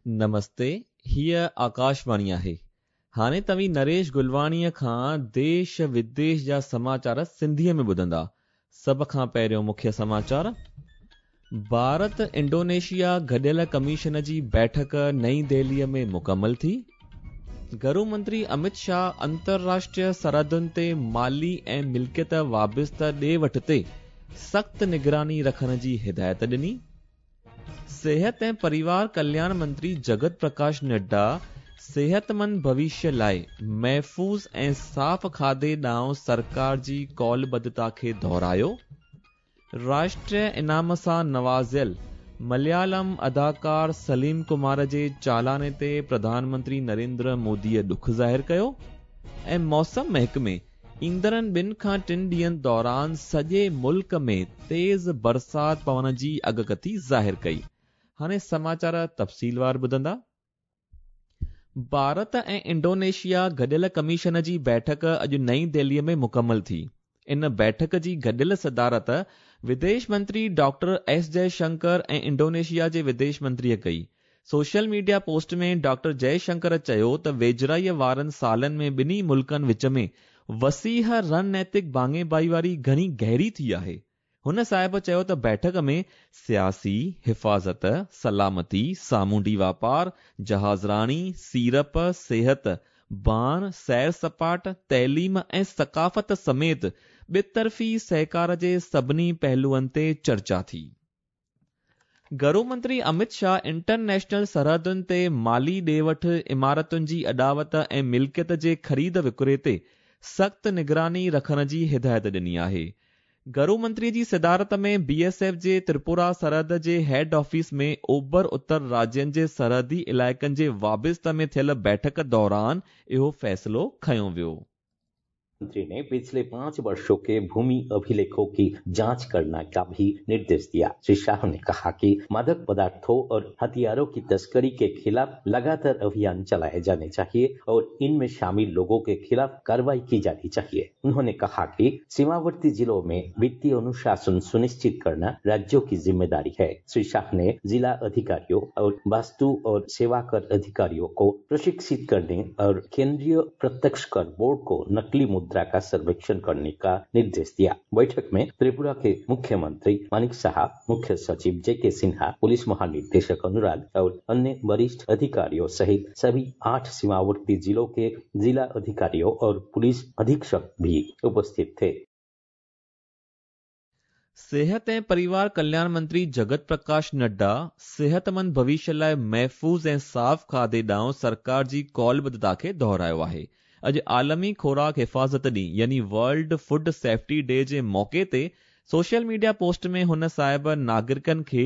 نمستي، هيء آڪاشواڻي آهي. هاڻي توهين نريش گلواڻيء کان ديش وديش جا سماچار سنڌيء ۾ ٻڌندا. سڀ کان پهريون مکيه سماچار. ڀارت انڊونيشيا گڏيل ڪميشن جي بيٺڪ نئين دهليء ۾ مڪمل ٿي. گهرو منتري امت شاهه انترراشٽريه سرحدن تي مالي ۽ ملڪيت وابسته ڏي وٺ تي سخت نگراني رکڻ جي هدايت ڏني. صحت ۽ پريوار ڪلياڻ منتري جگت پرڪاش نڊا صحتمند ڀوشيه لاءِ محفوظ ۽ صاف کاڌي ڏانهن سرڪار جي قولبڌتا کي دهرايو. راشٽريه انعام سان نوازيل مليالم اداڪار سليم ڪمار جي چالاني تي پرڌان منتري نريندر موديءَ ڏک ظاهر ڪيو ۽ موسم محڪمي ايندڙن ٻن کان ٽن ڏينهن دوران سڄي ملڪ ۾ تيز برسات پوڻ جي اڳڪٿي ظاهر ڪئي. هاڻي سماچار تفصيلوار ٻڌندا. ڀارت ۽ انڊونيشيا گڏيل ڪميشن جي بيٺڪ اڄ نئين دهليء ۾ مڪمل ٿي. ان بيٺڪ جي گڏيل صدارت وديش منتري ڊاڪٽر ايس جئه شنڪر ۽ انڊونيشيا جي وديش منتريء ڪئي. Social media post ۾ doctor Jai Shankar چيو ته ويجهڙائيء وارن سالن ۾ ٻنهي ملڪن وچ ۾ وسيع رڻنيتڪ ڀاڱي ڀائيواري گهڻي گهري ٿي آهي. هن صاحب چيو ته بيٺڪ ۾ سياسي، حفاظت، سلامتي، سامونڊي واپار، جهازراڻي، سيڙپ، صحت، ڀاڻ، سير سپاٽ، تعليم ۽ ثقافت سميت ٻطرفي سهڪار جي سڀني پهلوئن تي چرچا ٿي. گهرو منتري امت شاهه انٽرنيشنل سرحدن تي مالي ڏي وٺ، عمارتن جي اڏاوت ۽ ملڪيت جي خريد وڪري تي سخت نگراني رکڻ جي هدايت ڏني آهي. گهرو منتري جي صدارت ۾ بي ايس ايف جي تريپورا سرحد جي هيڊ آفيس ۾ اوڀر اتر راجين جي سرحدي علائقن جي وابسته ۾ ٿيل بيٺڪ دوران اهو فيصلو کنيو ويو. मंत्री ने पिछले 5 वर्षों के भूमि अभिलेखों की जांच करने का भी निर्देश दिया। श्री शाह ने कहा कि मादक पदार्थों और हथियारों की तस्करी के खिलाफ लगातार अभियान चलाए जाने चाहिए और इनमें शामिल लोगों के खिलाफ कार्रवाई की जानी चाहिए। उन्होंने कहा कि सीमावर्ती जिलों में वित्तीय अनुशासन सुनिश्चित करना राज्यों की जिम्मेदारी है। श्री शाह ने जिला अधिकारियों और वस्तु और सेवा कर अधिकारियों को प्रशिक्षित करने और केंद्रीय प्रत्यक्ष कर बोर्ड को नकली मुद्रा का सर्वेक्षण करने का निर्देश दिया। बैठक में त्रिपुरा के मुख्यमंत्री मानिक साहा, मुख्य सचिव जे के सिन्हा, पुलिस महानिदेशक अनुराग और अन्य वरिष्ठ अधिकारियों सहित सभी 8 सीमावर्ती जिलों के जिला अधिकारियों और पुलिस अधीक्षक भी उपस्थित थे। सेहत ऐं परिवार कल्याण मंत्री जगत प्रकाश नड्डा सेहतमंद भविष्य लाइ महफ़ूज़ ऐं साफ़ खाधे ॾांहुं सरकार जी कौलबद्धता खे दोहरायो आहे। अॼु आलमी खोराक हिफ़ाज़त ॾींहुं यानी वर्ल्ड फूड सेफ्टी डे जे मौक़े ते सोशल मीडिया पोस्ट में हुन साहिब नागरिकनि खे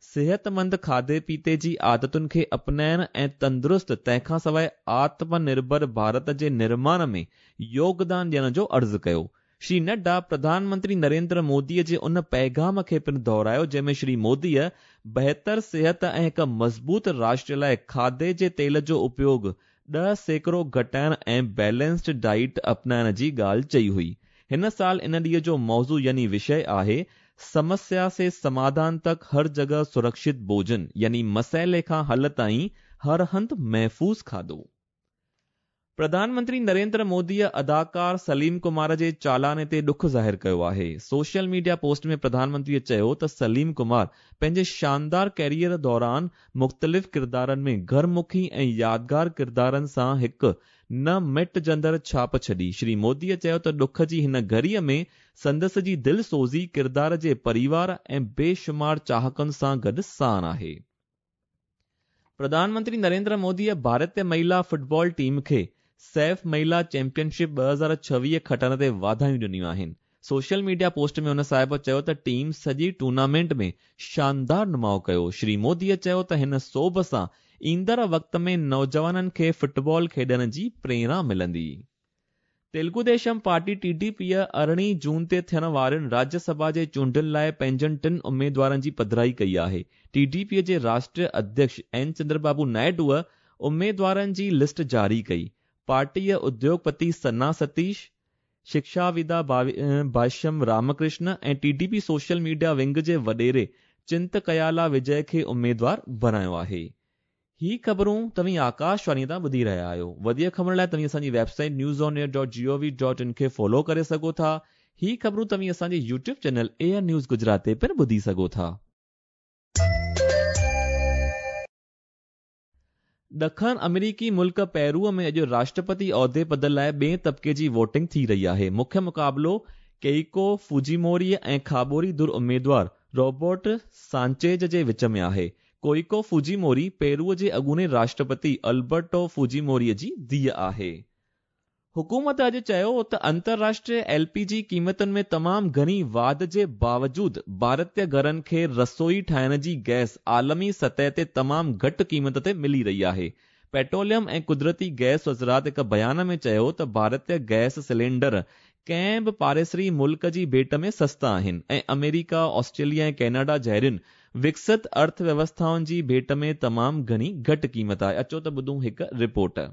सेहतमंद खाधे पीते जी आदतुनि खे अपनाइण ऐं तंदुरुस्त तंहिंखां सवाइ आत्मनिर्भर भारत जे निर्माण में योगदान ॾियण जो अर्ज़ु कयो। श्री नड्डा प्रधानमंत्री नरेंद्र मोदीअ जे उन पैगाम खे पिणु दोहरायो जंहिंमें श्री मोदीअ बहितर सिहत ऐं हिकु मज़बूत राष्ट्र लाइ खाधे जे तेल जो उपयोग 10% घटाइण ऐं बैलेंस्ड डाइट अपनाइण जी ॻाल्हि चई हुई। हिन साल इन ॾींहं जो मौज़ू यानी विषय आहे समस्या से समाधान तक हर जगह सुरक्षित भोजन यानी मसइले खां हल ताईं हर हंधि महफ़ूज़ खाधो। प्रधानमंत्री नरेंद्र मोदीअ अदाकार सलीम कुमार जे चालाने ते ॾुख ज़ाहिर कयो आहे। सोशल मीडिया पोस्ट में प्रधानमंत्रीअ चयो त सलीम कुमार पंहिंजे शानदार कैरियर दौरान मुख़्तलिफ़ किरदारनि में घरमुखी ऐं यादगार किरदारनि सां हिकु न मिटजंदड़ छाप छॾी। श्री मोदीअ चयो त ॾुख जी हिन घड़ीअ में संदसि जी दिलसोज़ी किरदार जे परिवार ऐं बेशुमार चाहकनि सां गॾु साण आहे। प्रधानमंत्री नरेंद्र मोदीअ भारतीय महिला फुटबॉल टीम खे सैफ महिला चैंपियनशिप 2026 खटण ते वाधायूं ॾिनियूं आहिनि। सोशल मीडिया पोस्ट में हुन साहिब चयो त टीम सॼी टूर्नामेंट में शानदार नुमाउ कयो। श्री मोदीअ चयो त हिन सोभ सां ईंदड़ वक़्त में नौजवाननि खे फुटबॉल खेॾण जी प्रेरणा मिलंदी। तेलुगु देशम पार्टी टीडीपीअ 18 जून ते थियण वारनि राज्यसभा जे चूंडुनि लाइ पंहिंजनि टिनि उमेदवारनि जी पधराई कई आहे। टीडीपीअ जे राष्ट्रीय अध्यक्ष एन चंद्रबाबू नायडूअ उमेदवारनि जी लिस्ट जारी कई। पार्टीअ उद्योगपति सन्ना सतीश, शिक्षाविदा भाष्यम रामकृष्ण ऐं टीडीपी सोशल मीडिया विंग जे वॾेरे चिंतकयाला विजय खे उमेदवार बणायो आहे। هي خبرون توهين آڪاشواڻي تان ٻڌي رهيا آهيو. وڌيڪ خبرن لاء توهين اسان جي website news on air dot G O V dot in کي فالو ڪري سگهو ٿا. هي خبرون توهين اسان جي YouTube channel A I news Gujarat تي پڻ ٻڌي سگهو ٿا. ڏکڻ آمريڪي ملڪ پيرو ۾ اڄ راشٽرپتي عهدي پد لاء ٻئين طبقي جي ووٽنگ ٿي رهي آهي. مکيه مقابلو ڪيئيڪو فوجيموري ۽ کاٻوري ڌر اميدوار روبرٽ سانچيز جي وچ ۾ آهي. ڪوئيڪو فوجيموري پيرو جي اڳوڻي راشٽرپتي البرٽو فوجيموري جي ڌيء آهي. حڪومت اڄ چيو ته انترراشٽريه ايل پي جي قيمتن ۾ تمام گهڻي واڌ جي باوجود ڀارتي گهرن کي رسوئي ٺاهڻ جي گئس عالمي سطح تي تمام گهٽ قيمت تي ملي رهي آهي. پيٽروليم ۽ قدرتي گئس وزارت هڪ بيان ۾ چيو ته ڀارتي گئس سلينڊر ڪنهن به پاڙيسري ملڪ جي ڀيٽ ۾ سستا آهن ۽ آمريڪا، آسٽريليا ۽ ڪئناڊا جهڙين وڪست ارٿ ويوسٿائن جي ڀيٽ ۾ تمام گهڻي گهٽ قيمت آهي. اچو ته ٻڌون هڪ رپورٽ.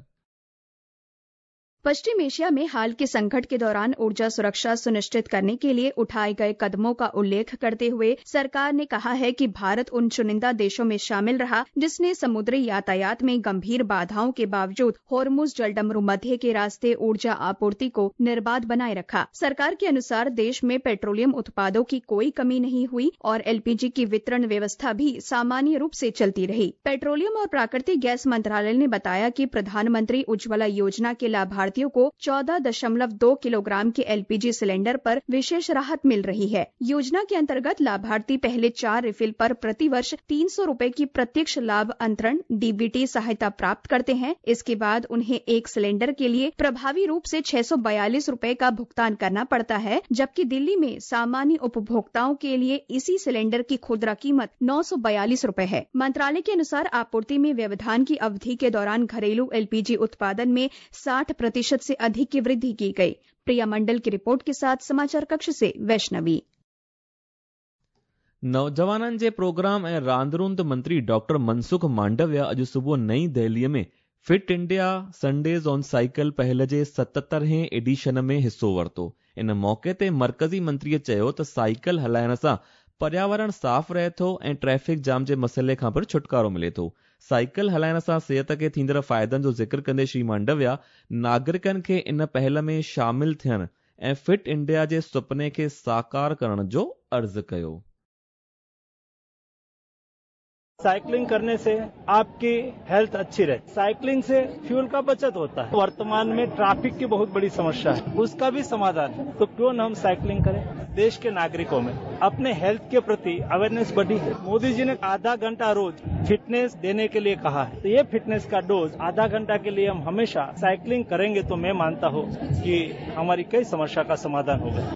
पश्चिम एशिया में हाल के संकट के दौरान ऊर्जा सुरक्षा सुनिश्चित करने के लिए उठाए गए कदमों का उल्लेख करते हुए सरकार ने कहा है कि भारत उन चुनिंदा देशों में शामिल रहा जिसने समुद्री यातायात में गंभीर बाधाओं के बावजूद होर्मुज जलडमरू मध्य के रास्ते ऊर्जा आपूर्ति को निर्बाध बनाए रखा। सरकार के अनुसार देश में पेट्रोलियम उत्पादों की कोई कमी नहीं हुई और एलपीजी की वितरण व्यवस्था भी सामान्य रूप से चलती रही। पेट्रोलियम और प्राकृतिक गैस मंत्रालय ने बताया कि प्रधानमंत्री उज्ज्वला योजना के लाभार्थियों को 14.2 किलोग्राम के एलपीजी सिलेंडर पर विशेष राहत मिल रही है। योजना के अंतर्गत लाभार्थी पहले 4 रिफिल पर प्रतिवर्ष 300 रुपए की प्रत्यक्ष लाभ अंतरण डीबीटी सहायता प्राप्त करते हैं। इसके बाद उन्हें एक सिलेंडर के लिए प्रभावी रूप से 642 रुपए का भुगतान करना पड़ता है, जबकि दिल्ली में सामान्य उपभोक्ताओं के लिए इसी सिलेंडर की खुदरा कीमत 942 रुपए है। मंत्रालय के अनुसार आपूर्ति में व्यवधान की अवधि के दौरान घरेलू एलपीजी उत्पादन में 60% से अधिक की वृद्धि की गई। प्रिया मंडल की रिपोर्ट के साथ समाचार कक्ष से वैष्णवी। नौजवाननि जे प्रोग्राम ऐं रांदि मंत्री डॉक्टर मनसुख मांडविया अॼु सुबुह नई दिल्लीअ में fit India Sundays on cycle पहल जे 77हें एडिशन में हिसो वरितो। इन मौक़े ते मर्कज़ी मंत्रीअ चयो त साइकिल हलाइण सां पर्यावरण साफ़ रहे थो ऐं ट्रैफिक जाम जे मसइले खां पिणु छुटकारो मिले थो। साइकिल हलाइण सां सिहत खे थींदड़ फ़ाइदनि जो ज़िक्र कंदे श्री मांडविया नागरिकनि खे इन पहल में शामिल थियण ऐं फिट इंडिया जे सुपने खे साकार करण जो अर्ज़ु कयो। साइकिलिंग करने से आपकी हेल्थ अच्छी रहती है। साइकिलिंग से फ्यूल का बचत होता है। वर्तमान में ट्रैफिक की बहुत बड़ी समस्या है, उसका भी समाधान है, तो क्यों न हम साइकिलिंग करें। देश के नागरिकों में अपने हेल्थ के प्रति अवेयरनेस बढ़ी है। मोदी जी ने आधा घंटा रोज फिटनेस देने के लिए कहा है, तो ये फिटनेस का डोज आधा घंटा के लिए हम हमेशा साइकिलिंग करेंगे तो मैं मानता हूँ कि हमारी कई समस्या का समाधान होगा।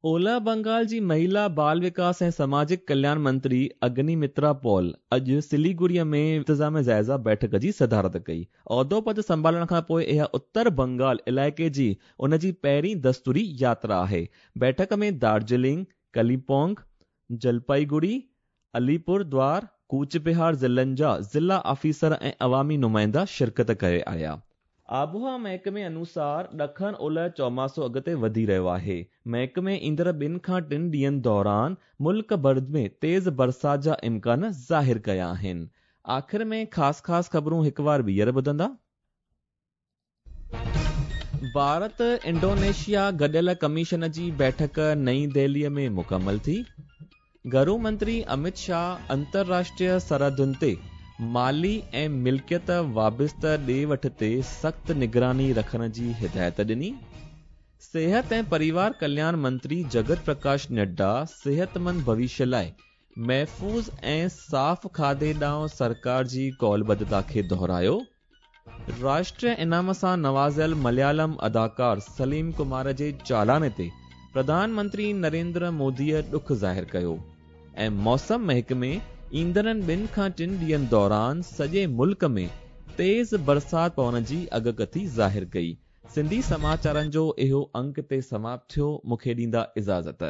ओलह बंगाल जी महिला बाल विकास ऐं समाजिक कल्याण मंत्री अग्निमित्रा पॉल अॼु सिलीगुड़ीअ में इंतज़ाम जाइज़ा बैठक जी सदारत कई। उहिदो पद संभालण खां पोइ इहा उत्तर बंगाल इलाइक़े जी उन जी पहिरीं दस्तूरी यात्रा आहे। बैठक में दार्जिलिंग, कलिम्पोंग, जलपाईगुड़ी, अलीपुर द्वार, कूच बिहार ज़िलनि जा ज़िला ऑफिसर ऐं अवामी नुमाइंदा शिरकत करे आया। आबहावा महकमे अनुसार ॾखण ओलह चौमासो अॻिते वधी रहियो आहे। महकमे ईंदड़ 2 खां 3 ॾींहंनि दौरान मुल्क भर में तेज़ बरसाति जा इम्कान ज़ाहिर कया आहिनि। आख़िर में ख़ासि ख़ासि ख़बरूं हिकु बार ॿीहर ॿुधंदा। भारत इंडोनेशिया गॾियल कमीशन जी बैठक नई दिल्लीअ में मुकमल थी। घरू मंत्री अमित शाह अंतर्राष्ट्रीय सरहदुनि ते माली ऐं मिल्कियत वाबिस्त ॾे वठ ते सख़्तु निगरानी रखण जी हिदायत ॾिनी। सिहत ऐं परिवार कल्याण मंत्री जगत प्रकाश नड्डा सिहतमंद भविष्य लाइ महफ़ूज़ ऐं साफ़ खाधे ॾांहुं सरकार जी कौलबद्धता खे दोहरायो। राष्ट्रीय इनाम सां नवाज़ियल मलयालम अदाकार सलीम कुमार जे चालाने ते प्रधानमंत्री नरेंद्र मोदीअ ॾुख ज़ाहिर कयो। ऐं मौसम महकमे ईंदड़नि 2 खां 3 ॾींहंनि दौरान सॼे मुल्क में तेज़ बरसाति पवण जी अॻकथी ज़ाहिर कई। सिंधी समाचारनि जो इहो अंक ते समाप्त थियो। मूंखे ॾींदा इजाज़त।